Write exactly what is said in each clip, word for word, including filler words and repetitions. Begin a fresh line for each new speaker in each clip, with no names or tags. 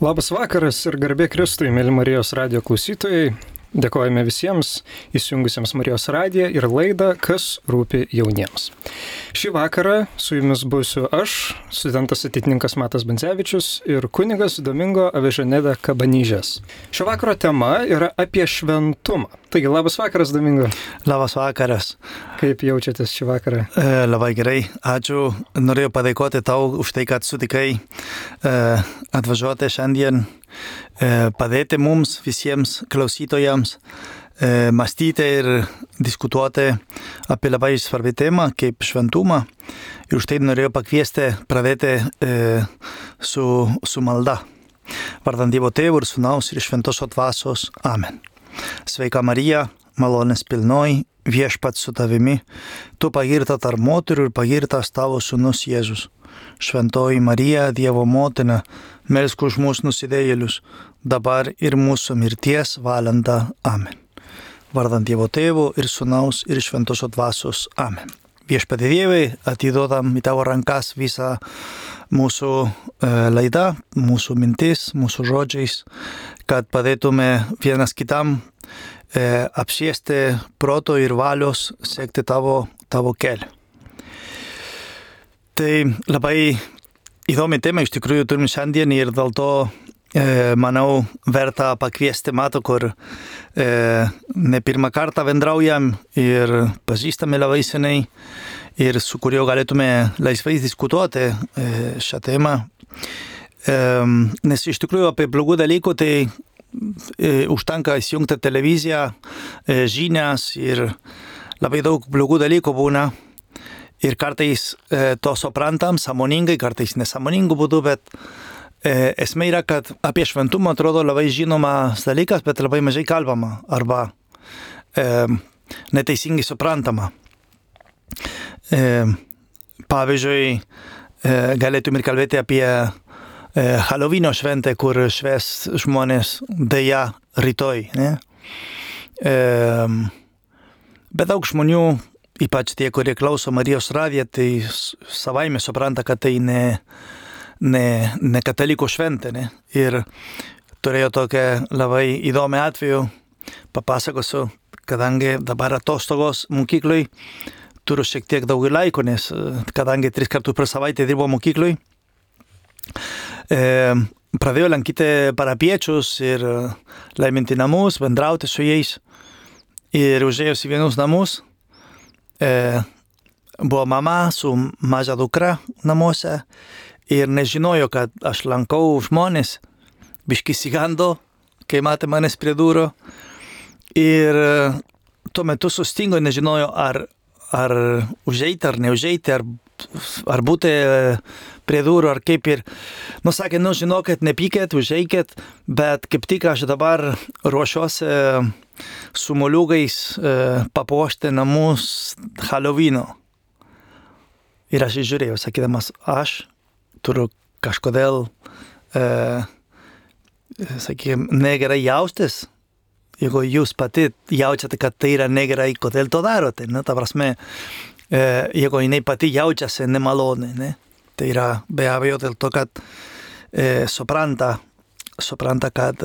Labas vakaras ir garbė Kristui, mėly Marijos radijo klausytojai. Dėkojame visiems įsijungusiems Marijos radiją ir laidą Kas rūpi jauniems. Šį vakarą su jumis būsiu aš, studentas ateitininkas Matas Bendzevičius ir kunigas Domingo Avežaneda Kabanyžės. Šio vakaro tema yra apie šventumą. Taigi, labas vakaras, Domingo.
Labas vakaras.
Kaip jaučiatės šį vakarą?
E, labai gerai, ačiū. Norėjau padėkoti tau už tai, kad sutikai e, atvažiuoti šiandien, e, padėti mums visiems klausytojams e, mąstyti ir diskutuoti apie labai svarbią temą kaip šventumą. Ir už tai norėjau pakviesti pradėti e, su, su malda. Vardant Dievo Tėvo ir Sūnaus ir Šventosios Dvasios. Amen. Sveika Marija, malonės pilnoji, viešpats su tavimi, tu pagirta tarp moterų ir pagirtas tavo sūnus Jėzus. Šventoji Marija, Dievo motina, melsk už mūsų nusidėjėlius, dabar ir mūsų mirties valandą. Amen. Vardant Dievo Tėvo ir Sūnaus ir Šventosios Dvasios. Amen. Viešpatie Dievai, atiduodam į tavo rankas visą mūsų e, laidą, mūsų mintis, mūsų žodžiais, kad padėtume vienas kitam e, apsiesti proto ir valios, sekti tavo, tavo kelią. Tai labai įdomi tema iš tikrųjų turim šiandien ir dėl to e, manau verta pakviesti Matą, kur e, ne pirmą kartą bendraujam ir pažįstame labai seniai ir su kuriuo galėtume laisvai diskutuoti e, šią temą. E, nes iš tikrųjų apie blogų dalykų tai e, užtenka įsijungti televiziją, e, žinias ir labai daug blogų dalykų būna. Ir kartais e, to suprantam sąmoningai, kartais nesąmoningų būdų, bet e, esmė yra, kad apie šventumą atrodo labai žinomas dalykas, bet labai mažai kalbama arba e, neteisingai suprantama. E, pavyzdžiui, e, galėtum ir kalbėti apie e, Halloween šventę, kur švęs žmonės dėja rytoj. Ne? E, bet daug žmonių, ypač tie, kurie klauso Marijos radiją, tai savaime supranta, kad tai ne, ne, ne katalikų šventė. Ne? Ir turėjau tokią labai įdomią atveju, papasakosiu, kadangi dabar atostogos mokyklai, turiu šiek tiek daug laiko, nes kadangi tris kartus per savaitę dirbo mokyklai, e, pradėjau lankyti parapiečius ir laiminti namus, bendrauti su jais. Ir užėjus į vienus namus, e, buvo mama su maža dukra namuose ir nežinojo, kad aš lankau žmonės, biškį sigando, kai matė manęs prie durų. Ir tuo metu sustingo, nežinojo, ar ar užeiti, ar neužeiti, ar, ar būti prie durų, ar kaip ir. Nu, sakė, nu, žinokit, nepykėt, užeikit, bet kaip tik aš dabar ruošiuosi su moliūgais papuošti namus Halloweeno. Ir aš žiūrėjau, sakydamas, aš turiu kažkodėl, e, sakykime, negerai jaustis. Jeigu jūs pati jaučiate, kad tai yra negerai, kodėl to darote, ne? Ta prasme, e, jeigu jinai pati jaučiasi nemalonai, ne? Tai yra be abejo dėl to, kad e, supranta, supranta, kad,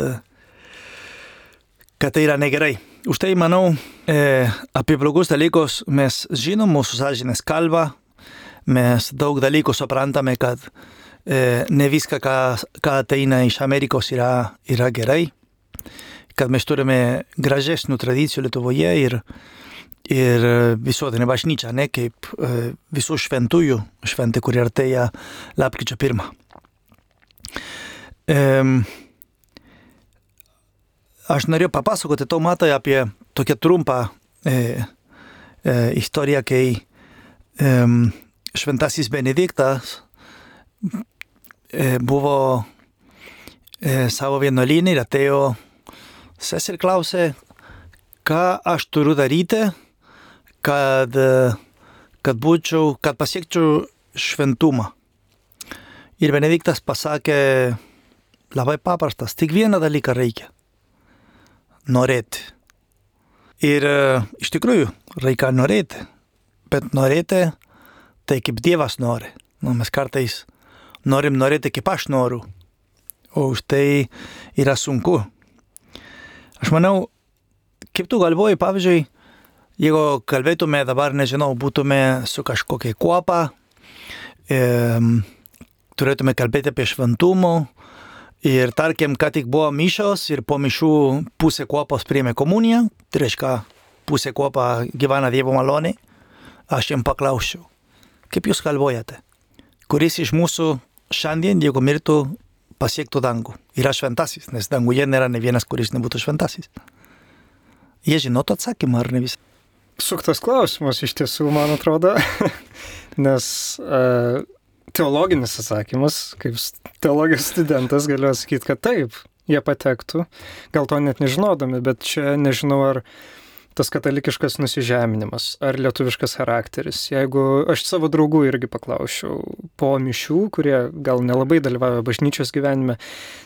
kad tai yra negerai. Už tai, manau, e, apie blogus dalykus mes žinom, mūsų sąžinės kalba, mes daug dalykų suprantame, kad e, ne viską, ką, ką ateina iš Amerikos yra, yra gerai. Kad mes turime gražesnių tradicijų Lietuvoje ir, ir visuotinė bažnyčia, ne, kaip e, visų šventųjų šventė, kuri artėja lapkričio pirmą. E, aš norėjau papasakoti tau, Matai, apie tokią trumpą e, e, istoriją, kai e, šventasis Benediktas e, buvo e, savo vienuolyne ir atėjo seser klausė, ką aš turiu daryti, kad, kad būčiau, kad pasiekčiau šventumą. Ir Benediktas pasakė labai paprastas, tik vieną dalyką reikia – norėti. Ir iš tikrųjų reikia norėti, bet norėti tai kaip Dievas nori. Nu, mes kartais norim norėti kaip aš noriu, o už tai yra sunku. Aš manau, kaip tu galvoji, pavyzdžiui, jeigu kalbėtume dabar, nežinau, būtume su kažkokia kuopa, e, turėtume kalbėti apie šventumą ir tarkim, ką tik buvo mišios ir po mišių pusė kuopos priėmė komuniją, tai reiškia, pusė kuopa gyvena Dievo malonė, aš jam paklausčiau, kaip jūs galvojate, kuris iš mūsų šiandien, jeigu mirtų, pasiektų dangų. Yra šventasis, nes danguje nėra ne vienas, kuris nebūtų šventasis. Jie žinotų atsakymą, ar ne visą?
Suktas klausimas iš tiesų, man atrodo, nes uh, teologinis atsakymas, kaip teologijos studentas galiu atsakyti, kad taip, jie patektų, gal to net nežinodami, bet čia nežinau, ar tas katalikiškas nusižeminimas, ar lietuviškas charakteris. Jeigu aš savo draugų irgi paklausčiau po mišių, kurie gal nelabai dalyvauja bažnyčios gyvenime,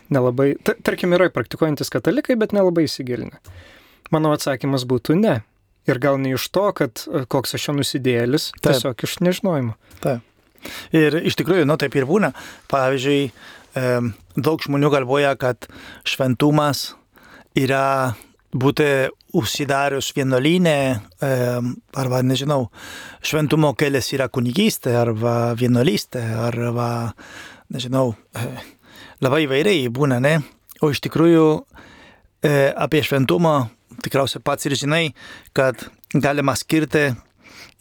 nelabai, ta, tarkim, yra praktikuojantis katalikai, bet nelabai įsigilinę. Mano atsakymas būtų ne. Ir gal ne iš to, kad koks aš čia nusidėlis, tiesiog iš nežinojimo.
Taip. Ir iš tikrųjų, nu taip ir būna. Pavyzdžiui, daug žmonių galvoja, kad šventumas yra būti užsidarius vienuolyne, arba, nežinau, šventumo kelias yra kunigystė, arba vienuolystė, arba, nežinau, labai įvairiai būna, ne? O iš tikrųjų apie šventumą tikriausiai pats ir žinai, kad galima skirti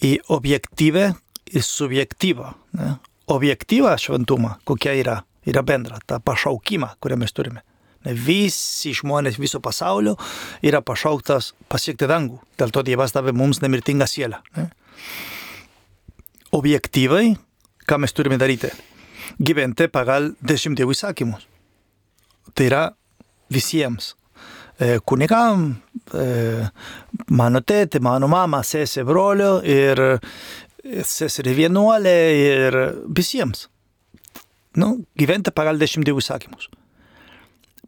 į objektyvę ir subjektyvą. Ne? Objektyvą šventumą, kokia yra, yra bendra, ta pašaukimą, kurią mes turime. Visi žmonės viso pasaulio yra pašauktas pasiekti dangų. Dėl to Dievas davė mums nemirtingą sielą. Ne? Objektyvai, ką mes turime daryti? Gyventi pagal dešimt Dievo įsakymus. Tai yra visiems. E, kunigam, e, mano tėtė, mano mama, sesė, brolio ir seserį vienuolė ir visiems. Nu, gyventi pagal dešimt Dievo įsakymus.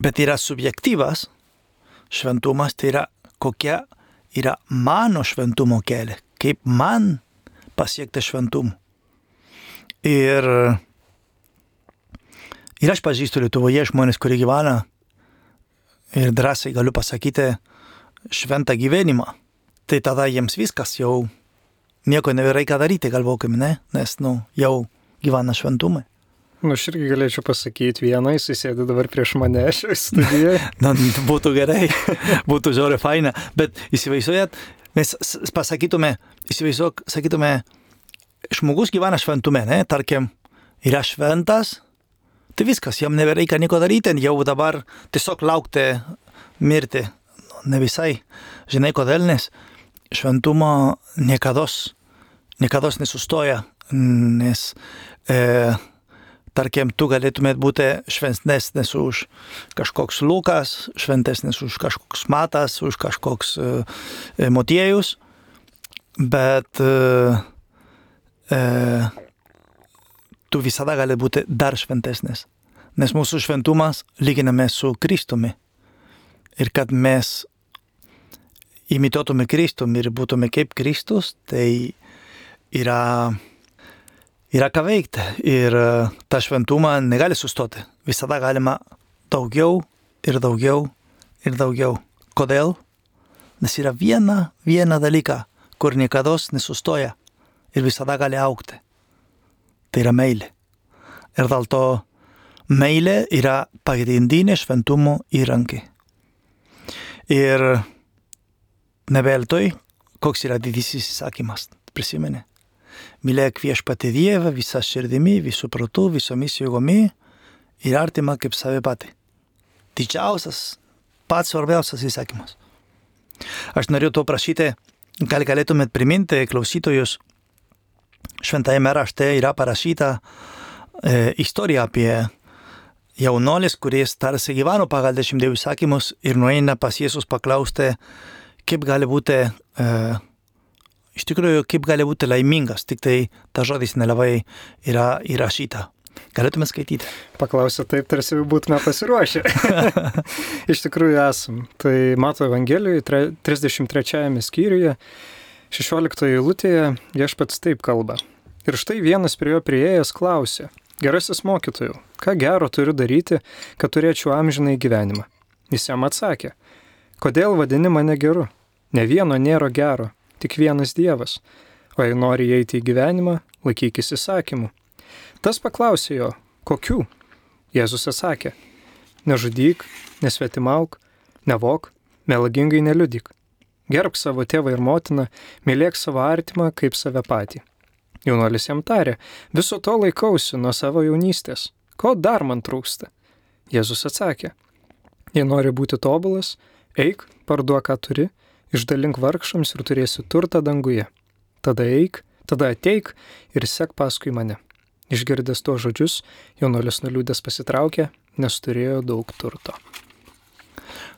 Bet yra subjektyvas šventumas, tai yra kokia yra mano šventumo kelias, kaip man pasiekti šventumą. Ir, ir aš pažįstu Lietuvoje žmonės, kurie gyvena ir drąsiai galiu pasakyti šventą gyvenimą. Tai tada jiems viskas jau nieko nebereikia daryti, galvokim, ne? Nes nu, jau gyvena šventumai.
Nu, aš irgi galėčiau pasakyti vieną, jis sėdi dabar prieš mane šioje studijoje.
Na, būtų gerai, būtų žiauriai faina, bet įsivaizduojat, mes pasakytume, įsivaizduok, sakytume, žmogus gyvena šventume, ne, tarkim, yra šventas, tai viskas, jam nebereikia nieko daryti, jau dabar tiesiog laukti mirti. Ne visai, žinai kodėl, nes šventumo niekados, niekados nesustoja, nes e, tarkim, tu galėtumėt būti šventesnis už kažkoks Lukas, šventesnis už kažkoks Matas, už kažkoks e, Motiejus, bet e, e, tu visada gali būti dar šventesnis. Nes mūsų šventumas lyginame su Kristumi. Ir kad mes imituotume Kristumi ir būtume kaip Kristus, tai yra... Yra ką veikti ir tą šventumą negali sustoti. Visada galima daugiau ir daugiau ir daugiau. Kodėl? Nes yra viena, viena dalyka, kur niekados nesustoja ir visada gali augti. Tai yra meilė. Ir dėl to meilė yra pagrindinė šventumo įrankį. Ir neveltui, koks yra didysis įsakymas, prisimeni. Mylėk viešpatį Dievą visą širdimi, visų protų, visomis jėgomis ir artimą kaip save patį. Didžiausias, pats svarbiausias įsakymas. Aš noriu to prašyti, gal galėtumėt priminti klausytojus, šventajame rašte yra parašyta e, istorija apie jaunuolis, kuris tarsi gyveno pagal dešimt Dievo įsakymus ir nueina pas Jėzus paklausti, kaip gali būti... E, Iš tikrųjų, kaip gali būti laimingas, tik tai ta žodis nelabai yra įrašyta. Galėtume skaityti.
Paklausė taip, tarsi būtume pasiruošę. Iš tikrųjų esam. Tai Mato Evangelijoje, trisdešimt trečiajame skyriuje, šešioliktoje eilutėje viešpats taip kalba. Ir štai vienas prie jo priėjęs klausė, Gerasis mokytojau, ką gero turiu daryti, kad turėčiau amžinai gyvenimą? Jis jam atsakė, kodėl vadini mane geru? Ne vieno nėra gero, tik vienas Dievas. O jei nori įeiti į gyvenimą, laikykis įsakymų. Tas paklausė jo, kokių? Jėzus atsakė, nežudyk, nesvetimauk, nevok, melagingai neliudyk. Gerbk savo tėvą ir motiną, mylėk savo artimą kaip save patį. Jaunuolis jam tarė, viso to laikausi nuo savo jaunystės. Ko dar man trūksta? Jėzus atsakė, jei nori būti tobulas, eik, parduok, ką turi, išdalink vargšams ir turėsi turtą danguje. Tada eik, tada ateik ir sek paskui mane. Išgirdęs tuos žodžius, jaunuolis nuliūdęs pasitraukė, nes turėjo daug turto.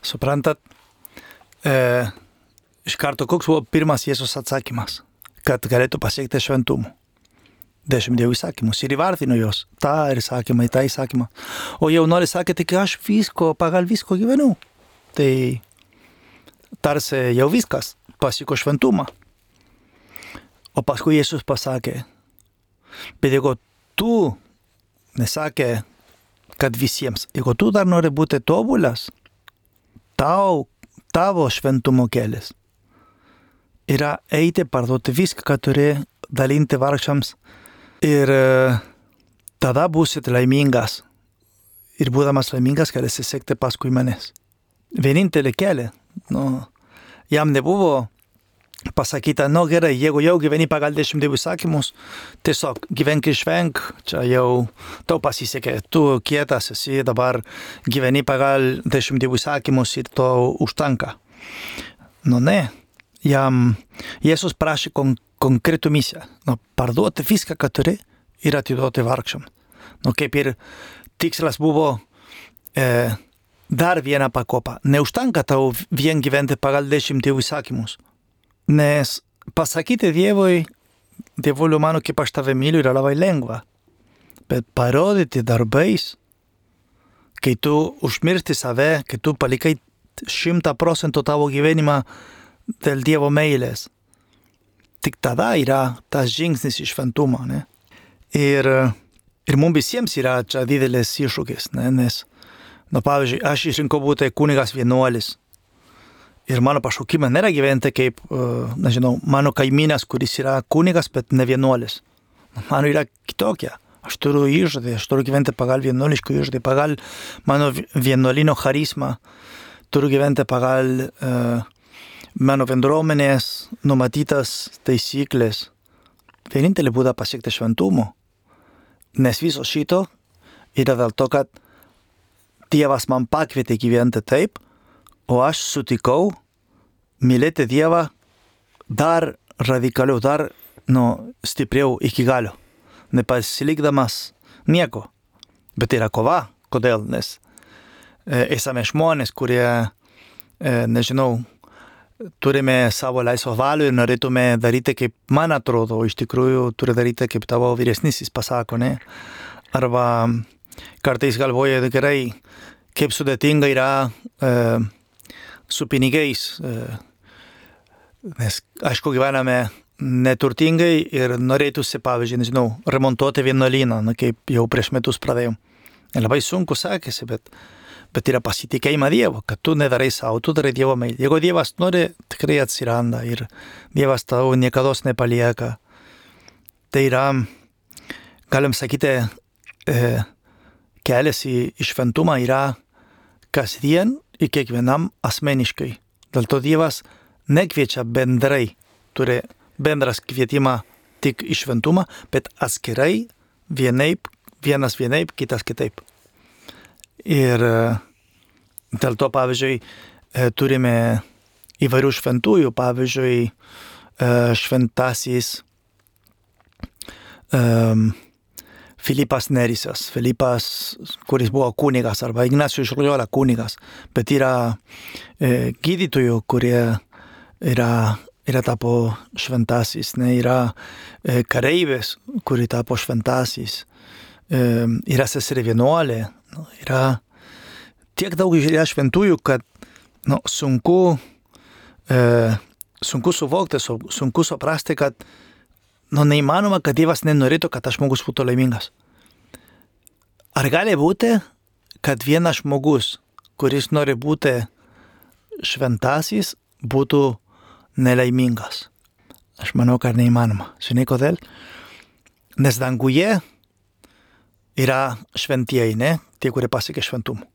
Suprantat, e, iš karto koks buvo pirmas Jėzus atsakymas, kad galėtų pasiekti šventumų. Dešimt dievų įsakymus ir įvardino jos, tą ir įsakymą, tą įsakymą. O jaunuolis sakė, tik aš visko, pagal visko gyvenu. Tai tarsi jau viskas, pasieko šventumą. O paskui Jėzus pasakė, bet jeigu tu, nesakė, kad visiems, jeigu tu dar nori būti tobulas, tau, tavo šventumo kelias yra eiti, parduoti viską, ką turi, dalinti vargšams ir tada būsit laimingas. Ir būdamas laimingas, galėsi sekti paskui manęs. Vienintelį kelią, nu, jam nebuvo pasakyta, nu gerai, jeigu jau gyveni pagal dešimt dievų įsakymus, tiesiog gyvenk ir švenk, čia jau tau pasisekė, tu kietas esi, dabar gyveni pagal dešimt dievų įsakymus ir to užtenka. Nu ne, jam Jėzus prašė kon, konkretų misiją, nu, parduoti viską, ką turi ir atiduoti vargšam. Nu, kaip ir tikslas buvo e, dar vieną pakopą. Neužtenka tau vien gyventi pagal dešimt dievų įsakymus. Nes pasakyti Dievui, Dievuliu mano, kaip aš tave myliu, yra labai lengva. Bet parodyti darbais, kai tu užmiršti save, kai tu palikai šimtą procentų tavo gyvenimą dėl Dievo meilės, tik tada yra tas žingsnis į šventumą. Ne? Ir, ir mums visiems yra čia didelis iššūkis, ne? Nes, nu, pavyzdžiui, aš išrinkau būti kunigas vienuolis. Ir mano pašaukimą nėra gyventi kaip, nežinau, mano kaimynas, kuris yra kunigas, bet ne vienuolis. Mano yra kitokia. Aš turiu įžadį, aš turiu gyventi pagal vienuoliškų įžadį, pagal mano vienuolino charizmą. Turiu gyventi pagal uh, mano bendruomenės numatytas taisyklės. Vienintelį būdą pasiekti šventumo. Nes viso šito yra dėl to, kad Dievas man pakvietė gyventi taip, o aš sutikau mylėti Dievą dar radikaliau, dar nu, stipriau iki galio, nepasilikdamas nieko. Bet yra kova. Kodėl? Nes e, esame žmonės, kurie, e, nežinau, turime savo laisvą valią ir norėtume daryti, kaip man atrodo, iš tikrųjų turi daryti, kaip tavo vyresnysis pasako, ne? Arba kartais galvoja, gerai, kaip sudėtinga yra e, su pinigais, nes aišku gyvename neturtingai ir norėtųsi, pavyzdžiui, nežinau, remontuoti vienuolyną, na, kaip jau prieš metus pradėjom. Labai sunku sakėsi, bet, bet yra pasitikėjimą Dievo, kad tu nedarai savo, tu darai Dievo meilę. Jeigu Dievas nori, tikrai atsiranda ir Dievas tau niekados nepalieka. Tai yra, galim sakyti, e, kelias į šventumą yra kasdien ir kiekvienam asmeniškai. Dėl to Dievas nekviečia bendrai, turi bendras kvietimą tik į šventumą, bet atskirai vienaip, vienas vienaip, kitas kitaip. Ir dėl to, pavyzdžiui, turime įvairių šventųjų, pavyzdžiui, šventasis um, Filipas Nerisas, Filipas, kuris buvo kunigas, arba Ignacijus iš Loyola kunigas, bet yra e, gydytojų, kurie yra, yra tapo šventasis, ne, yra e, kareivės, kuri tapo šventasis, e, yra seserė vienuolė, nu, yra tiek daug yra šventųjų, kad nu, sunku, e, sunku suvokti, sunku suprasti, kad nu, neįmanoma, kad Dievas nenorėtų, kad tas žmogus būtų laimingas. Ar gali būti, kad vienas žmogus, kuris nori būti šventasis, būtų nelaimingas? Aš manau, kad neįmanoma. Žinai kodėl? Nes danguje yra šventieji, ne? Tie, kurie pasiekė šventumą.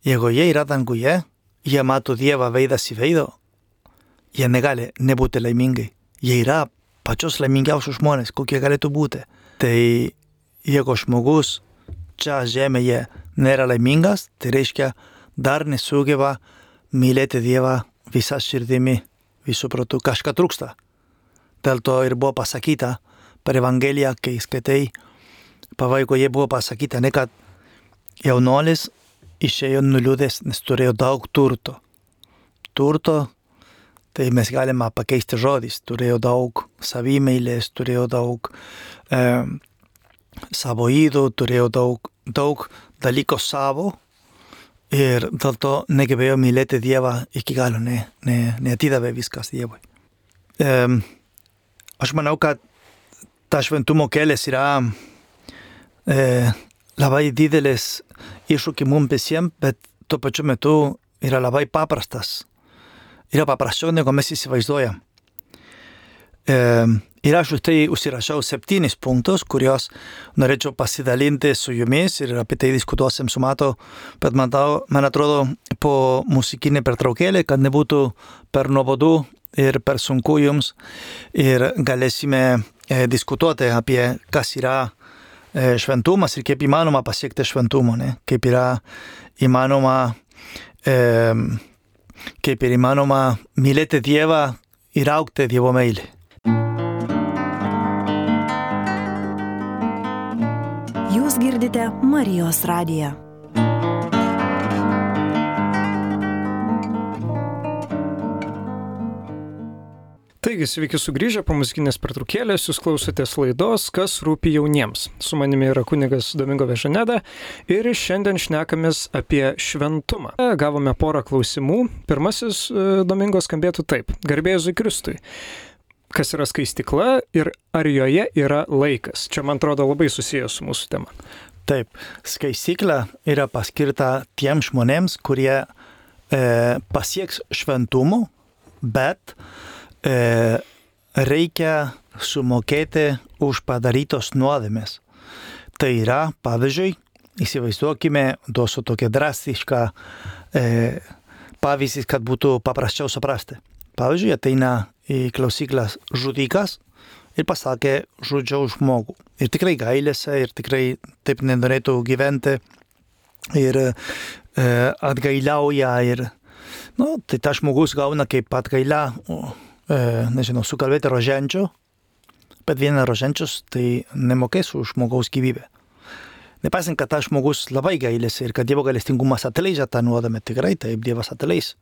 Jeigu jie yra danguje, jie mato Dievą veidas į veido, jie negali nebūti laimingai. Jie yra pačios laimingiausios žmonės, kokie galėtų būti. Tai jeigu žmogus čia žemėje nėra laimingas, tai reiškia dar nesugeba mylėti Dievą visą širdimi, visų protų. Kažką trūksta. Dėl to ir buvo pasakyta per Evangeliją, kai skaitai, pabaigoje buvo pasakyta, ne kad jaunuolis išėjo nuliūdęs, nes turėjo daug turto. Turto, tai mes galime pakeisti žodis. Turėjo daug savimeilės, turėjo daug e, savo ydų, turėjo daug, daug dalyko savo ir dėl to negebėjo mylėti Dievą iki galo, ne, ne, neatidavė viskas Dievui. E, aš manau, kad ta šventumo kelias yra e, labai didelis iššūkis mums visiems, bet tuo pačiu metu yra labai paprastas. Yra paprasčiau, negu mes įsivaizduojam. E, ir aš už tai užsirašiau septynis punktus, kuriuos norėčiau pasidalinti su jumis ir apie tai diskutuosim su Matu, bet man, tau, man atrodo po muzikinį pertraukėlį, kad nebūtų per nuobodu ir per sunku jums ir galėsime e, diskutuoti apie kas yra e, šventumas ir kaip įmanoma pasiekti šventumo, ne? Kaip yra įmanoma e, kaip ir įmanoma mylėti Dievą ir augti Dievo meilį.
Jūs girdite Marijos radiją.
Taigi, sveiki sugrįžę po muzikinės pertraukėlės, jūs klausotės laidos Kas rūpi jauniems. Su manimi yra kunigas Domingo Vežaneda ir šiandien šnekamės apie šventumą. Gavome porą klausimų. Pirmasis Domingo skambėtų taip. Garbė Jėzui Kristui. Kas yra skaistykla ir ar joje yra laikas? Čia, man atrodo, labai susijęs su mūsų tema.
Taip, skaistykla yra paskirta tiems žmonėms, kurie e, pasieks šventumo, bet E, reikia sumokėti už padarytos nuodėmės. Tai yra, pavyzdžiui, įsivaizduokime, duosiu tokią drastišką e, pavyzdį, kad būtų paprasčiau suprasti. Pavyzdžiui, ateina į klausyklas žudikas ir pasakė, žudžiau žmogų. Ir tikrai gailėsi, ir tikrai taip nenorėtų gyventi, ir e, atgailiauja, ir nu, tai ta žmogus gauna kaip atgailą, nežinau, sukalbėti roženčių, bet vienas roženčius tai nemokės už žmogaus gyvybę. Nepaisant, kad tas žmogus labai gailėsi ir kad Dievo gailestingumas atleidžia tą nuodėmę, tikrai taip Dievas atleis.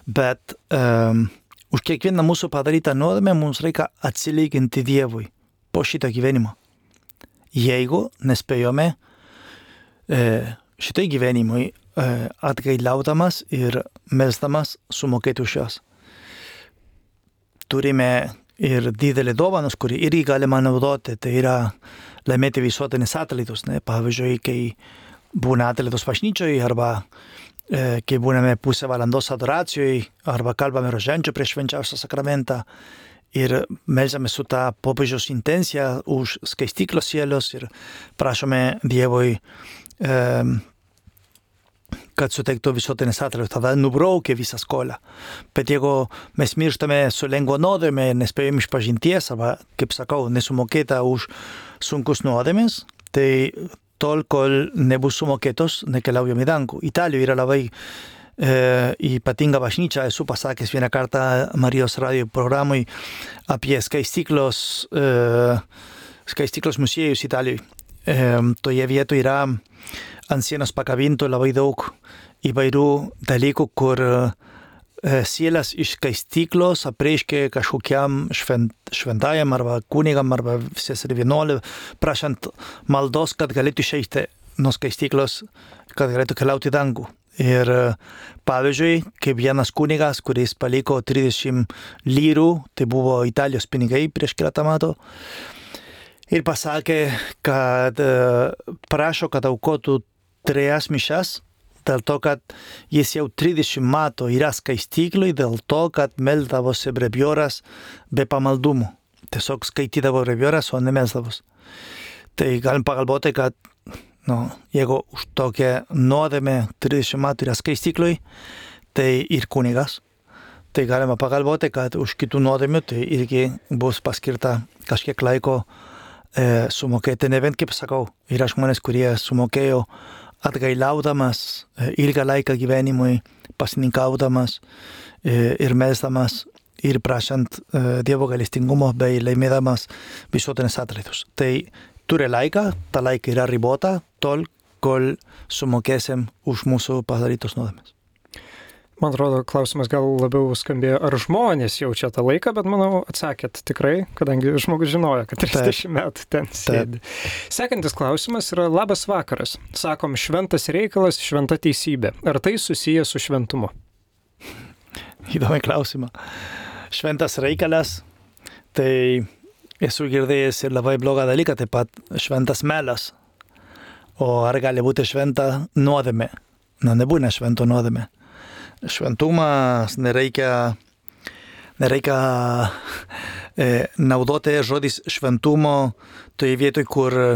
Bet um, už kiekvieną mūsų padarytą nuodėmę mums reikia atsilyginti Dievui po šitą gyvenimą. Jeigu nespėjome e, šitai gyvenimui e, atgailaudamas ir melsdamas sumokėti už juos. Turime ir didelį dovanus, kurį irgi galima naudoti, tai yra laimėti visuotinis atlaidus. Ne? Pavyzdžiui, kai būna atlaidos bažnyčioje, arba e, kai būname pusę valandos adoracijoje, arba kalbame roženčių prieš švenčiausią sakramentą ir melžiame su tą popiežiaus intencija už skaistyklos sielos ir prašome Dievui e, kad suteiktų visuotinis atlaidus, tada nubraukia visą skolą. Bet jeigu mes mirštame su lengva nuodėme ir nespėjom išpažinties, arba, kaip sakau, nesumokėta už sunkus nuodėmes, tai tol, kol nebus sumokėtos, nekeliaujam į dangų. Italijoje yra labai e, ypatinga bažnyčia, esu pasakęs vieną kartą Marijos radio programai apie skaistyklos, e, skaistyklos muziejus Italijoje. E, toje vietoje yra ant sienos pakabintų labai daug įvairių dalykų, kur e, sielas iš skaistyklos apreiškė kažkokiam švent, šventajam arba kunigam arba seserį vienuolį, prašant maldos, kad galėtų išeiti nuo skaistyklos, kad galėtų keliauti į dangų. Ir pavyzdžiui, kaip vienas kunigas, kuris paliko trisdešimt lyrų, tai buvo Italijos pinigai prieš keletą metų, ir pasakė, kad prašo, kad aukotų trejas mišas, dėl to, kad jis jau trisdešimt metų yra skaistyklui, dėl to, kad melsdavosi brevioras be pamaldumų. Tiesiog skaitydavo brevioras, o nemelsdavos. Tai galim pagalvoti, kad nu, jeigu už tokią nuodėmę trisdešimt metų yra skaistyklui, tai ir kunigas. Tai galima pagalvoti, kad už kitų nuodėmių tai irgi bus paskirta kažkiek laiko e, sumokėti. Ne vien, kaip sakau, yra žmonės, kurie sumokėjo atgailaudamas e, ilgą laiką gyvenimui, pasininkaudamas e, ir melsdamas ir prašant e, Dievo gailestingumo bei laimėdamas visuotinės atlaidus. Tai turi laiką, ta laika yra ribota, tol, kol sumokėsim už mūsų padarytus nuodėmes.
Man atrodo, klausimas gal labiau skambėjo, ar žmonės jaučia tą laiką, bet manau atsakėt tikrai, kadangi žmogus žinojo, kad trisdešimt metų ten sėdi. Sekantis klausimas yra labas vakaras. Sakom, šventas reikalas, šventa teisybė. Ar tai susiję su šventumu?
Įdomi klausimą. Šventas reikalas, tai esu girdėjęs ir labai blogą dalyką, taip pat šventas melas. O ar gali būti šventa nuodėmė? Na, nebūna švento nuodėmė. Šventumas nereikia, nereikia e, naudoti žodis šventumo toje vietoje, kur e,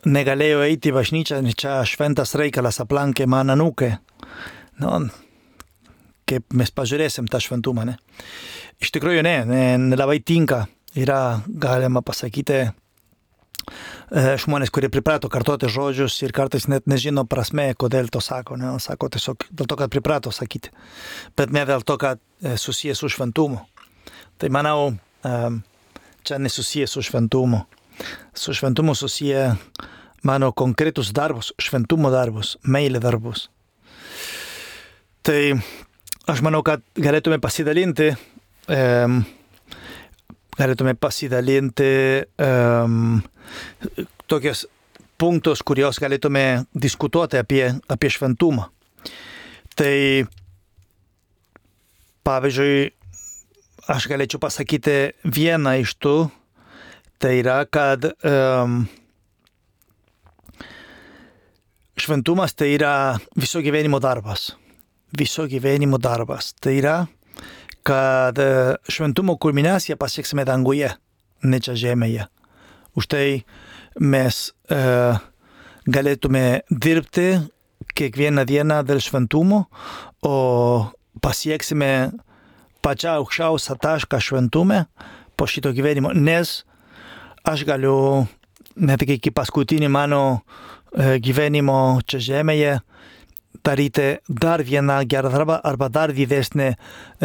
negalėjo eiti į bažnyčią, čia šventas reikalas aplankė man anūkę. Nu, kaip mes pažiūrėsim tą šventumą, ne? Iš tikrųjų ne, ne, nelabai tinka. Yra, galima pasakyti, žmonės, kurie priprato kartoti žodžius ir kartais net nežino prasme, kodėl to sako. Ne? Sako tiesiog dėl to, kad priprato sakyti, bet ne dėl to, kad susijęs su šventumu. Tai manau, čia nesusijęs su šventumu. Su šventumu susiję mano konkretus darbus, šventumo darbus, meilė darbus. Tai aš manau, kad galėtume pasidalinti um, galėtume pasidalinti um, tokios punktus, kurios galėtume diskutuoti apie, apie šventumą. Tai pavyzdžiui, aš galėčiau pasakyti vieną iš tų, tai yra, kad um, šventumas tai yra viso gyvenimo darbas. Viso gyvenimo darbas. Tai yra, kad šventumo kulminaciją pasieksime danguje, ne čia žemėje. Už tai mes e, galėtume dirbti kiekvieną dieną dėl šventumo, o pasieksime pačią aukščiausią tašką šventume po šito gyvenimo, nes aš galiu net iki paskutinį mano e, gyvenimo čia žemėje daryti dar vieną gerą darbą arba dar didesnį e,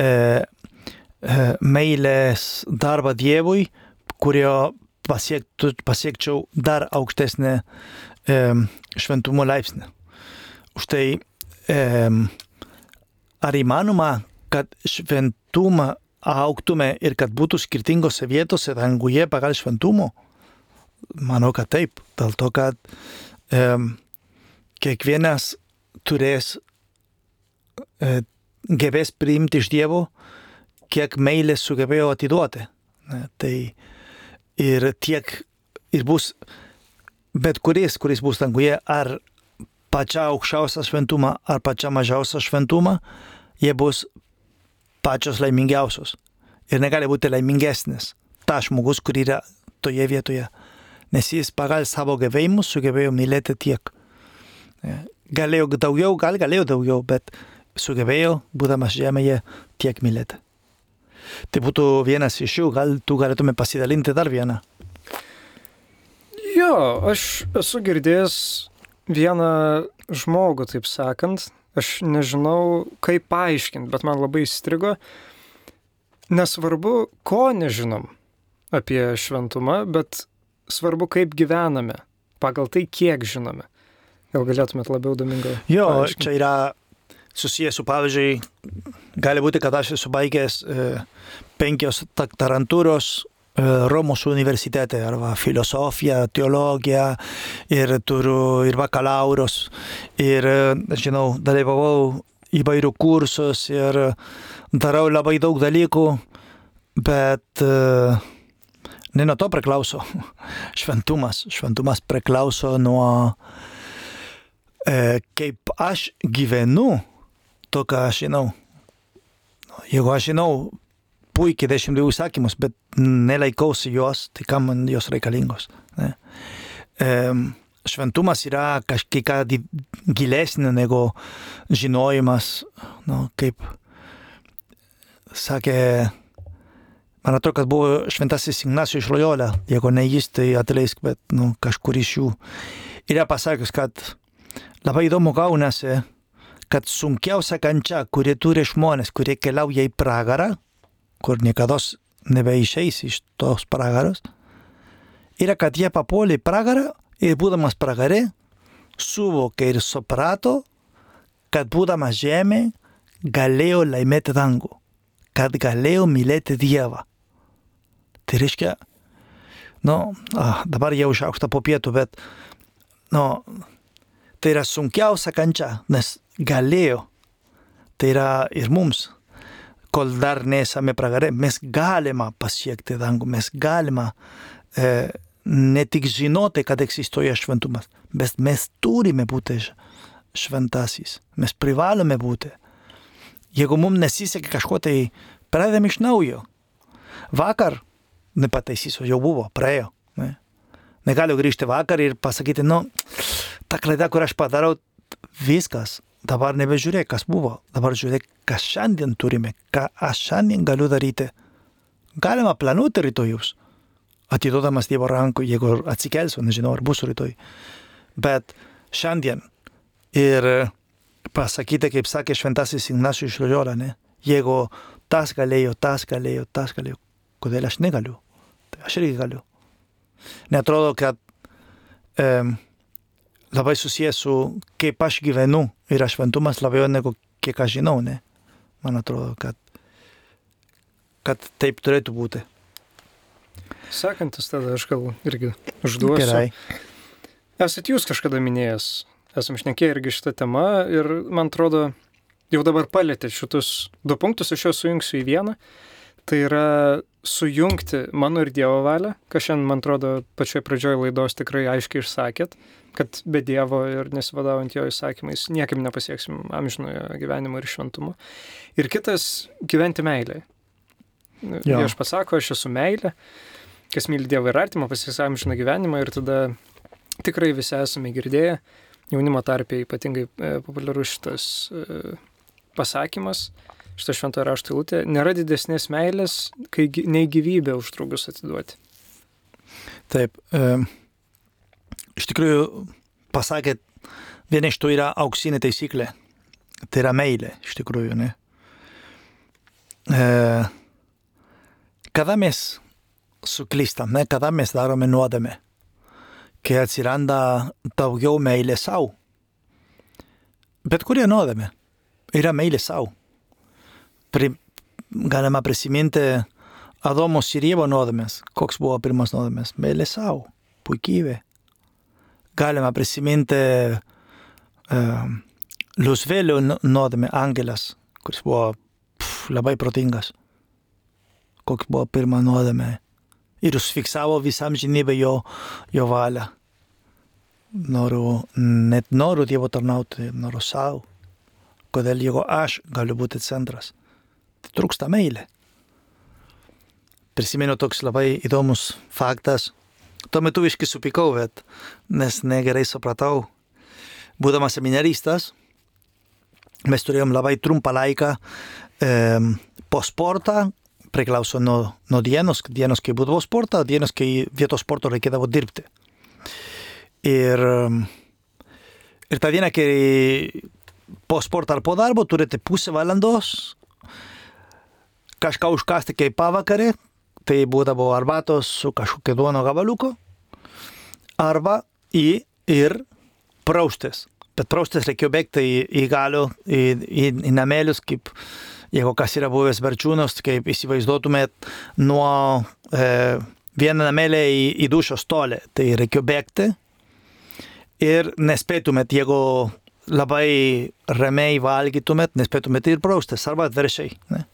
e, meilės darbą Dievui, kurio pasiektų, pasiekčiau dar aukštesnį e, šventumo laipsnį. Už tai e, ar įmanoma, kad šventumą augtume ir kad būtų skirtingose vietose danguje pagal šventumo? Manau, kad taip. Dėl to, kad e, kiekvienas turės, e, gebės priimti iš Dievo, kiek meilės sugebėjo atiduoti. Ne, tai ir tiek, ir bus bet kuris, kuris bus danguje, ar pačią aukščiausią šventumą, ar pačią mažiausią šventumą, jie bus pačios laimingiausios. Ir negali būti laimingesnis ta žmogus, kur yra toje vietoje. Nes jis pagal savo gebėjimus sugebėjo mylėti tiek. Ne, galėjo daugiau, gal galėjo daugiau, bet sugebėjo, būdamas žemėje, tiek mylėti. Tai būtų vienas iš jų, gal tu galėtume pasidalinti dar vieną.
Jo, aš esu girdėjęs vieną žmogų, taip sakant, aš nežinau, kaip paaiškinti, bet man labai įstrigo. Nesvarbu, ko nežinom apie šventumą, bet svarbu, kaip gyvename, pagal tai, kiek žinome. Gal galėtumėt labiau Domingo?
Jo, paaiškinti? Čia yra susijęs su, pavyzdžiui, gali būti, kad aš esu baigęs e, penkios doktorantūros e, Romos universitete, arba filosofiją, teologiją, ir turiu ir bakalauros, ir, žinau, dalyvavau įvairių kursus ir darau labai daug dalykų, bet e, ne nuo to priklauso šventumas. Šventumas priklauso nuo e, kaip aš gyvenu, to, ką aš žinau. Jeigu aš žinau puikiai dešimt dviejų įsakymus, bet nelaikausi jos, tai kam man jos reikalingos. Ne? E, šventumas yra kažkiek gilesnė negu žinojimas, nu, kaip sakė, man atrodo, kad buvo šventasis Ignacijus iš Loyola, jeigu ne jis, tai atleisk, bet nu, kažkur iš jų yra pasakęs, kad labai įdomu gaunasi, kad sunkiausia kančia, kurie turi žmonės, kurie keliauja į pragarą, kur niekados nebeišeis iš tos pragaros, yra, kad jie papuolė į pragarą ir būdamas pragare, suvokė ir suprato, kad būdamas žemė galėjo laimėti dangų, kad galėjo mylėti Dievą. Tai reiškia, nu, ah, dabar jau išaukšta po pietų, bet, nu, tai yra sunkiausia kančia, nes galėjo. Tai yra ir mums, kol dar nesame pragare, mes galima pasiekti dangų, mes galima e, ne tik žinoti, kad egzistuoja šventumas, bet mes turime būti šventasis, mes privalome būti. Jeigu mums nesisekė kažko, tai pradėm iš naujo. Vakar, nepataisysiu, jau buvo, praėjo. Ne? Negaliu grįžti vakar ir pasakyti, nu, ta klaida, kur aš padarau, viskas. Dabar nebežiūrėk, kas buvo. Dabar žiūrėk, kas šiandien turime, ką aš šiandien galiu daryti. Galima planuoti rytojus, atiduodamas Dievo rankų, jeigu atsikelsiu, nežinau, ar bus rytoj. Bet šiandien ir pasakyti, kaip sakė šventasis Ignacijus iš Loyola, ne? Jeigu tas galėjo, tas galėjo, tas galėjo, kodėl aš negaliu? Tai aš irgi galiu. Neatrodo, kad um, labai susijęs su kaip aš gyvenu yra šventumas labiau negu kiek aš žinau, ne? Man atrodo, kad, kad taip turėtų būti.
Sekantis tada aš gal irgi užduosiu.
Gerai.
Esat jūs kažkada minėjęs, esam šnekėję irgi šitą temą ir man atrodo, jau dabar palėtė šitus du punktus, aš juos sujungsiu į vieną. Tai yra sujungti mano ir Dievo valią, ką šiandien, man atrodo, pačioje pradžioje laidos tikrai aiškiai išsakėt, kad be Dievo ir nesivadovaujant jo įsakymais niekaip nepasieksim amžinojo gyvenimo ir šventumo. Ir kitas – gyventi meilėje. Dievas pasako, aš esu meilė, kas myli Dievą ir artimą, pasieks amžiną gyvenimą ir tada tikrai visi esame girdėję, jaunimo tarpe ypatingai e, populiarus šitas e, pasakymas, šitą šventojo rašto eilutė, nėra didesnės meilės, kai nei gyvybę už draugus atiduoti.
Taip, e, iš tikrųjų pasakėt, viena iš tų yra auksinė taisyklė, tai yra meilė, iš tikrųjų, ne? E, kada mes suklystam, ne? Kada mes darome nuodėmę, kai atsiranda daugiau meilė sau. Bet kurie nuodėmė yra meilė sau. Pri, galima prisiminti Adomos ir Ievo nuodėmės. Koks buvo pirmas nuodėmės? Meilė sau, puikybė. Galima prisiminti uh, Liusvėlio nuodėmė, angelas, kuris buvo pff, labai protingas. Koks buvo pirma nuodėmė. Ir užfiksavo visam žinybę jo, jo valią. Noriu, net noriu Dievo tarnauti, noriu sau. Kodėl jeigu aš galiu būti centras? Tai trūksta meilė. Prisimenu toks labai įdomus faktas. Tuo metu viškai supykau, bet nes negerai supratau. Būdamas seminaristas, mes turėjom labai trumpą laiką e, po sportą, priklauso nuo, nuo dienos, dienos, kai būdavo sportą, dienos, kai vietos sporto reikėdavo dirbti. Ir, ir tą dieną, kai po sporto ar po darbo turite pusę valandos kažką užkasti kaip pavakarė, tai būdavo arbatos su kažkokia duono gabaliuko, arba į ir praustis. Bet praustis reikėjo bėgti į, į galių, į, į, į namelius, kaip jeigu kas yra buvęs Berčiūnos, kaip įsivaizduotumėt nuo e, vieną namelę į, į dušos tolį. Tai reikėjo bėgti ir nespėtumėt, jeigu labai ramiai valgytumėt, nespėtumėt ir praustis, arba atveršiai. Ne?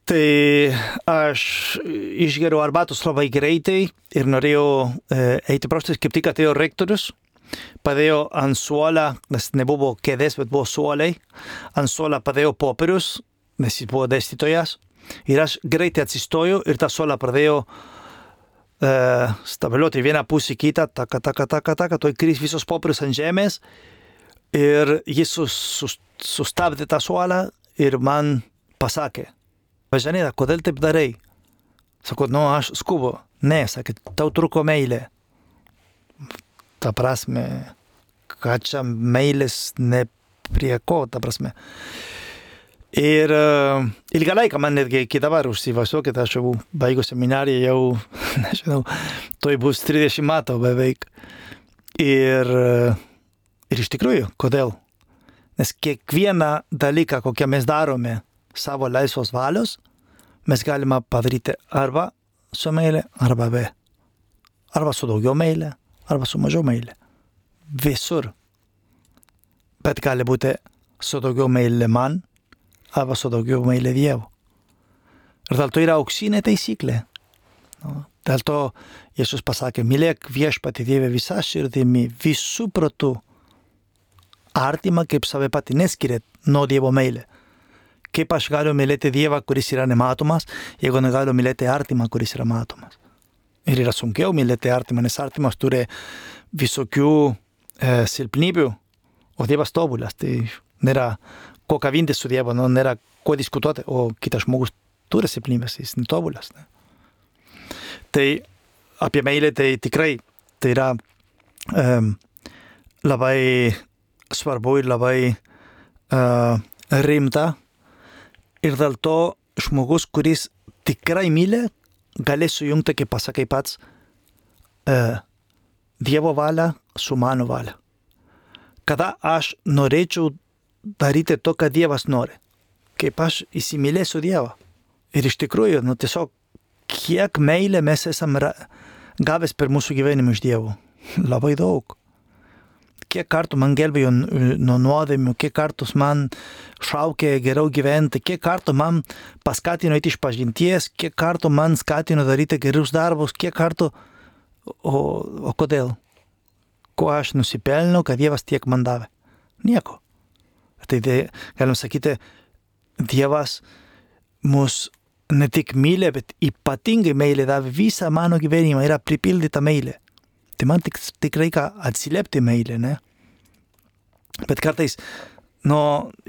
Tai aš išgeriau arbatos labai greitai ir norėjau e, eiti prostis, kaip tik atėjo rektorius, padėjo ant suolą, nes nebuvo kėdės, bet buvo suoliai, ant suolą padėjo popierius, nes jis buvo dėstytojas, ir aš greitai atsistojau ir tą suolą pradėjo e, stabiliuoti vieną pusę kitą, taka, taka, taka, taka, tuoj kris visos popierius ant žemės ir jis sus, sus, sustabdė tą suolą ir man pasakė, Važanėda, kodėl taip darai? Sako, nu, aš skubu. Ne, sakė, tau truko meilė. Ta prasme, ką čia meilės ne prie ko, ta prasme. Ir uh, ilgą laiką man netgi iki dabar užsivažiuokit, aš jau baigiu seminariją, jau, nežinau, toj bus trisdešimt metų beveik. Ir, uh, ir iš tikrųjų, kodėl? Nes kiekvieną dalyką, kokią mes darome, savo laisvos valios, mes galime padaryti arba su meilė, arba be. Arba su daugiau meilė, arba su mažiau meilė. Visur. Bet gali būti su daugiau meilė man, arba su daugiau meilė Dievo. Ir dėl to yra auksinė taisyklė. No, dėl to Jėzus pasakė, mylėk viešpatį Dievą visą širdimi, visų protų, artimą kaip save patį, neskiriat nuo Dievo meilė. Kaip aš galiu mylėti Dievą, kuris yra nematomas, jeigu negaliu mylėti artimą, kuris yra matomas. Ir yra sunkiau mylėti artimą, nes artimas turi visokių e, silpnybių, o Dievas tobulas. Tai nėra ko kavintis su Dievu, no, nėra ko diskutuoti, o kitas žmogus turi silpnybės, jis netobulas. Ne? Tai apie meilę tai tikrai tai yra e, labai svarbu ir labai e, rimta. Ir dėl to žmogus, kuris tikrai myli, gali sujungti, kaip pasakai pats, e, Dievo valią su mano valia. Kada aš norėčiau daryti to, ką Dievas nori, kaip aš įsimylėsiu Dievą. Ir iš tikrųjų, nu tiesiog, kiek meilė mes esam gavęs per mūsų gyvenimą iš Dievo. Labai daug. Kiek kartų man gelbėjo nuo nuodėmių, kiek kartus man šaukė geriau gyventi, kiek kartų man paskatino eiti iš pažinties, kiek kartų man skatino daryti gerus darbus, kiek kartų, o, o kodėl? Ko aš nusipelniau, kad Dievas tiek man davė? Nieko. Tai galim sakyti, Dievas mus ne tik mylė, bet ypatingai meilė davė visą mano gyvenimą, yra pripildyta meilė. Tai man tik, tik reikia atsiliepti meilę, ne? Bet kartais, nu,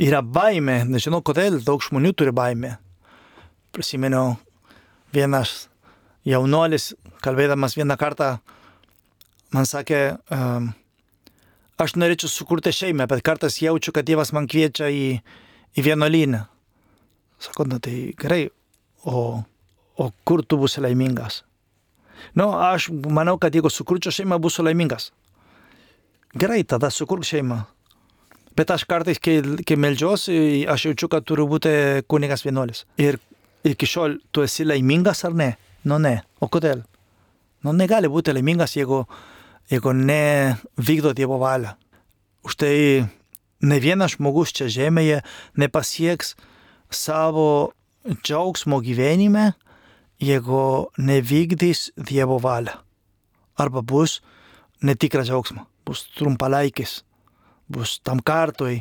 yra baimė, nežinau kodėl, daug žmonių turi baimę. Prisimenu, vienas jaunuolis, kalbėdamas vieną kartą, man sakė, um, aš norėčiau sukurti šeimą, bet kartais jaučiu, kad Dievas man kviečia į, į vienuolyną. Sako, na tai gerai, o, o kur tu būsi laimingas? Nu, aš manau, kad jeigu sukurčiau šeimą, būsiu laimingas. Gerai, tada sukurk šeimą. Bet aš kartais, kai, kai meldžiuosi, aš jaučiu, kad turiu būti kunigas vienuolis. Ir iki šiol tu esi laimingas ar ne? Nu ne. O kodėl? Nu negali būti laimingas, jeigu, jeigu ne vykdo Dievo valią. Už tai ne vienas žmogus čia žemėje nepasieks savo džiaugsmo gyvenime, jeigu nevykdys Dievo valią. Arba bus netikras džiaugsmas, bus trumpalaikis, bus tam kartui,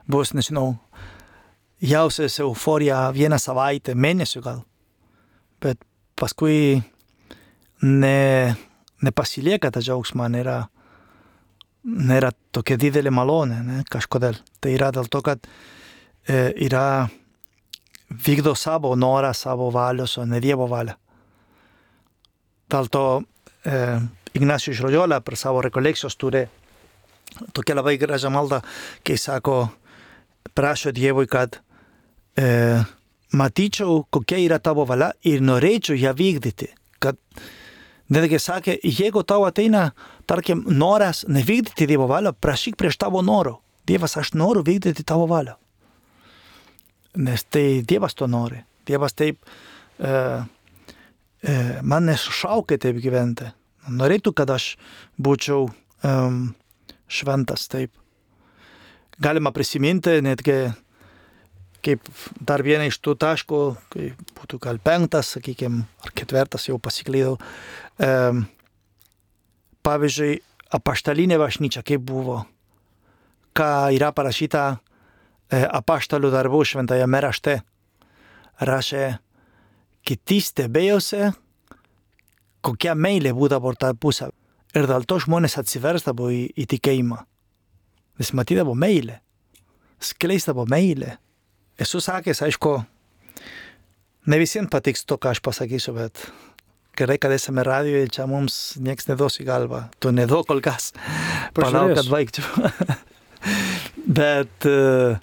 bus, nežinau, jausias euforija vieną savaitę, mėnesį gal. Bet paskui ne, nepasilieka tą džiaugsmą, nėra, nėra tokia didelė malonė, ne, kažkodėl. Tai yra dėl to, kad e, yra vykdo savo norą, savo valios, o ne Dievo valią. Dėl to e, Ignacio iš Loyola per savo rekolekcijos turi tokia labai gražią maldą, kai sako, prašo Dievui, kad e, matyčiau, kokia yra tavo valia ir norėčiau ją vykdyti. Kad netgi sakė, jeigu tau ateina, tarkim, noras nevykdyti Dievo valią, prašyk prieš tavo norų. Dievas, aš noriu vykdyti tavo valią. Nes tai Dievas to nori. Dievas taip e, e, man nesušaukė taip gyventi. Norėtų, kad aš būčiau um, šventas taip. Galima prisiminti netgi kaip dar vieną iš tų taškų, kai būtų gal penktas, sakykime, ar ketvirtas, jau pasiklydau. E, pavyzdžiui, apaštalinė bažnyčia, kaip buvo, ką yra parašyta e, apaštalų darbų šventajame rašte. Rašė, kiti stebėjosi, kokia meilė būdavo tarpusavy. Ir dėl to žmonės atsiversdavo į, į tikėjimą. Nes matydavo meilę, skleisdavo meilę. Esu sakęs, aišku, ne visiems patiks to, ką aš pasakysiu, bet gerai, kad esame radijoje, čia mums nieks neduos į galvą. Tu neduok kol kas. Palauk, kad baigčiau. Bet uh,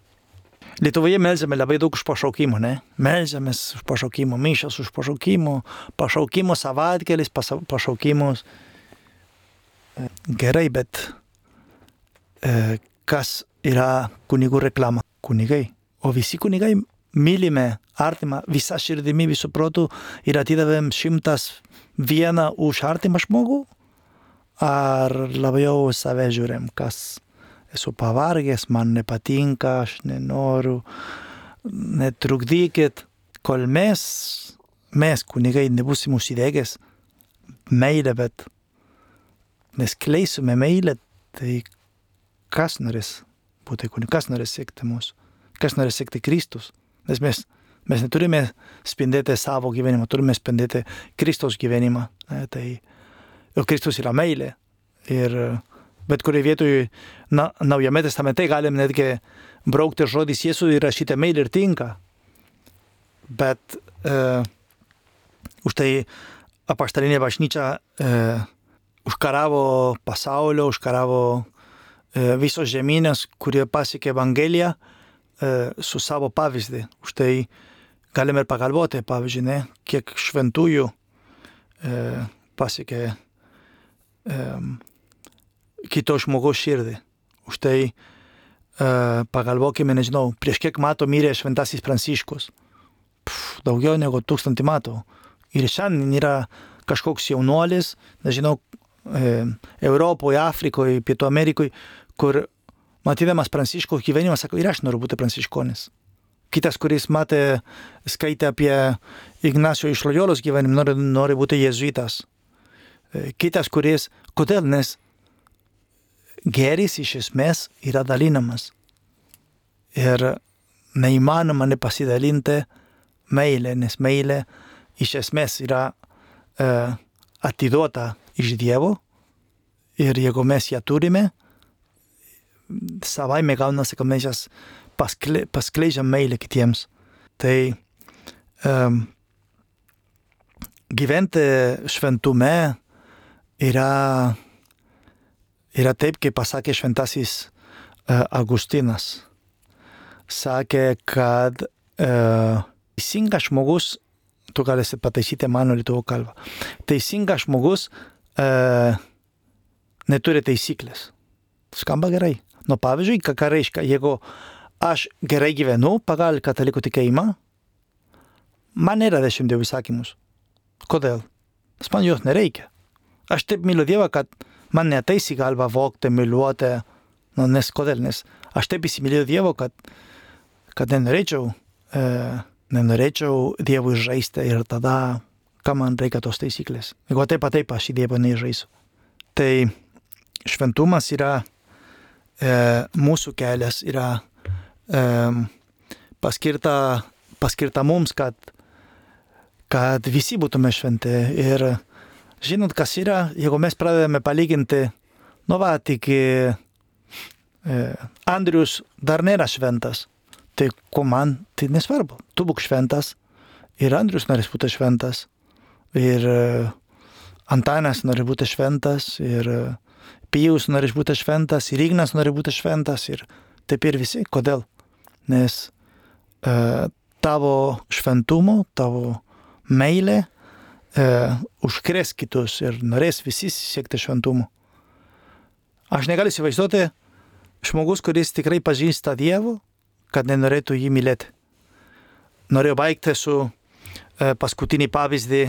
Lietuvoje melžiame labai daug už pašaukimų, ne? Melžiamės už pašaukimų, mišios už pašaukimų, pašaukimų savaitgalis, pašaukimus. Gerai, bet e, kas yra kunigų reklama? Kunigai. O visi kunigai mylime artimą visą širdimi, visų protų ir atidavėm šimtas vieną už artimą žmogų? Ar labiau save žiūrėm, kas esu pavargęs, man nepatinka, aš nenoriu, netrukdykit, kol mes, mes kunigai nebūsim užsidegęs meilę, bet neskleisime meilę, tai kas norės būti kunigai, kas norės sekti mūsų, kas norės sekti Kristus, nes mes, mes neturime spindėti savo gyvenimą, turime spindėti Kristaus gyvenimą, ne, tai ir Kristus yra meilė ir bet kurioje vietoje na, Naujame testamente galim netgi braukti žodis Jėzų ir rašyti meilė ir tinka. Bet e, už tai apaštalinė bažnyčia e, užkaravo pasaulio, užkaravo e, visos žemynės, kurie pasiekė Evangeliją e, su savo pavyzdį. Už tai galime ir pagalvoti, pavyzdžiui, ne, kiek šventųjų e, pasiekė e, kito žmogaus širdį. Už tai uh, pagalvokime, nežinau, prieš kiek metų mirė šventasis Pranciškus. Pff, daugiau negu tūkstantį metų. Ir šiandien yra kažkoks jaunuolis, nežinau, e, Europoje, Afrikoje, Pietų Amerikoje, kur matydamas Pranciškaus gyvenimą, sako, ir aš noriu būti pranciškonis. Kitas, kuris matė, skaitė apie Ignacio iš Lojolos gyvenimą, nori, nori būti jėzuitas. E, kitas, kuris, kodėl, nes geris iš esmės yra dalinamas. Ir neįmanoma nepasidalinti meilę, nes meilė iš esmės yra e, atiduota iš Dievo ir jeigu mes ją turime, savaime gaunasi, kad mes jas paskle, paskleidžiam meilę kitiems. Tai um, gyventi šventume yra Yra taip, kaip pasakė šventasis uh, Augustinas. Sakė, kad uh, teisingas žmogus, tu galėsi pataisyti mano lietuvių kalbą, teisingas žmogus uh, neturi taisyklės. Skamba gerai. Nu, pavyzdžiui, ką reiškia, jeigu aš gerai gyvenu pagal katalikų tikėjimą, man nėra dešimt dievų įsakymus. Kodėl? Nes man jos nereikia. Aš taip myliu Dievą, kad man neateis į galvą vogti, myliuoti, nu, nes kodėl, nes aš taip įsimylėjau Dievo, kad, kad nenorėčiau, e, nenorėčiau Dievui žaisti ir tada, ką man reikia tos taisyklės. Jeigu taip pat taip, aš į Dievą nežaisiu. Tai šventumas yra, e, mūsų kelias yra e, paskirta, paskirta mums, kad, kad visi būtume šventi ir žinot, kas yra, jeigu mes pradedame palyginti, nu va, tik e, Andrius dar nėra šventas, tai ko man, tai nesvarbu. Tu būk šventas ir Andrius norės būti šventas, ir e, Antanas nori būti šventas, ir e, Pijus nori būti šventas, ir Ignas nori būti šventas, ir taip ir visi. Kodėl? Nes e, tavo šventumo, tavo meilė, Uh, užkrės kitus ir norės visi siekti šventumo. Aš negaliu įsivaizduoti žmogus, kuris tikrai pažįsta Dievo, kad nenorėtų jį mylėti. Noriu baigti su uh, paskutinį pavyzdį,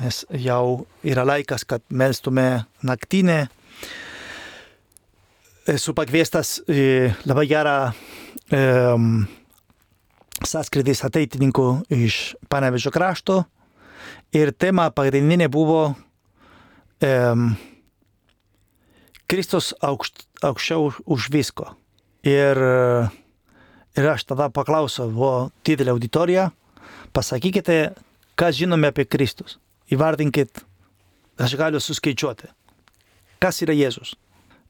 nes jau yra laikas, kad melstume naktinę. Esu pakviestas į labai gerą um, sąskrydis ateitininkų iš Panevėžio krašto ir tema pagrindinė buvo um, Kristus aukšt, aukščiau už visko. Ir, ir aš tada paklausiau, buvo didelė auditorija, pasakykite, ką žinome apie Kristus. Įvardinkit, aš galiu suskaičiuoti. Kas yra Jėzus?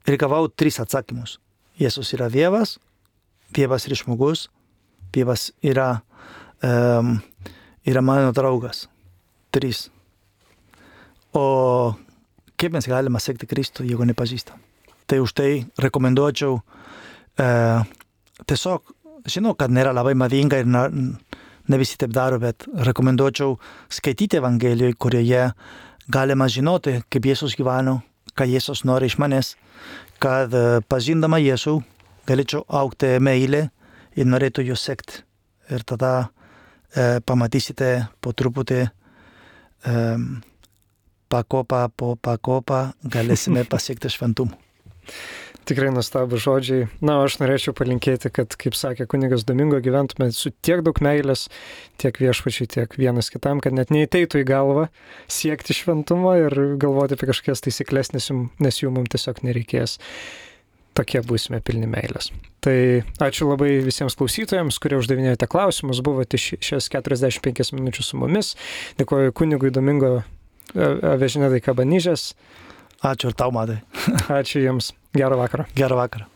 Ir gavau tris atsakymus. Jėzus yra Dievas, Dievas yra žmogus, Dievas yra, um, yra mano draugas. Trys. O kaip mes galime sekti Kristų, jeigu nepažįstam? Tai už tai rekomenduočiau uh, tiesiog, žinau, kad nėra labai madinga ir na, ne visi taip daro, bet rekomenduočiau skaityti Evangelijoje, kurioje galima žinoti, kaip Jėzus gyveno, ką Jėzus nori iš manęs, kad uh, pažindama Jėzų galėčiau augti meilę ir norėtų jo sekti. Ir tada uh, pamatysite po truputį um, pakopą po pakopą galėsime pasiekti šventumą.
Tikrai nuostabų žodžiai. Na, aš norėčiau palinkėti, kad, kaip sakė kunigas Domingo, gyventume su tiek daug meilės, tiek viešpačiai, tiek vienas kitam, kad net neįteitų į galvą siekti šventumo ir galvoti apie kažkokias taisyklės, nes, jum, nes jų mums tiesiog nereikės. Tokie būsime pilni meilės. Tai ačiū labai visiems klausytojams, kurie uždavinėjote klausimus, buvote šias keturiasdešimt penkias minučių su mumis. Dėkuoju kunigui Domingo Avežinėdai Kabanyžės.
Ačiū ir tau, Madai.
Ačiū jums. Gerą vakarą.
Gerą vakarą.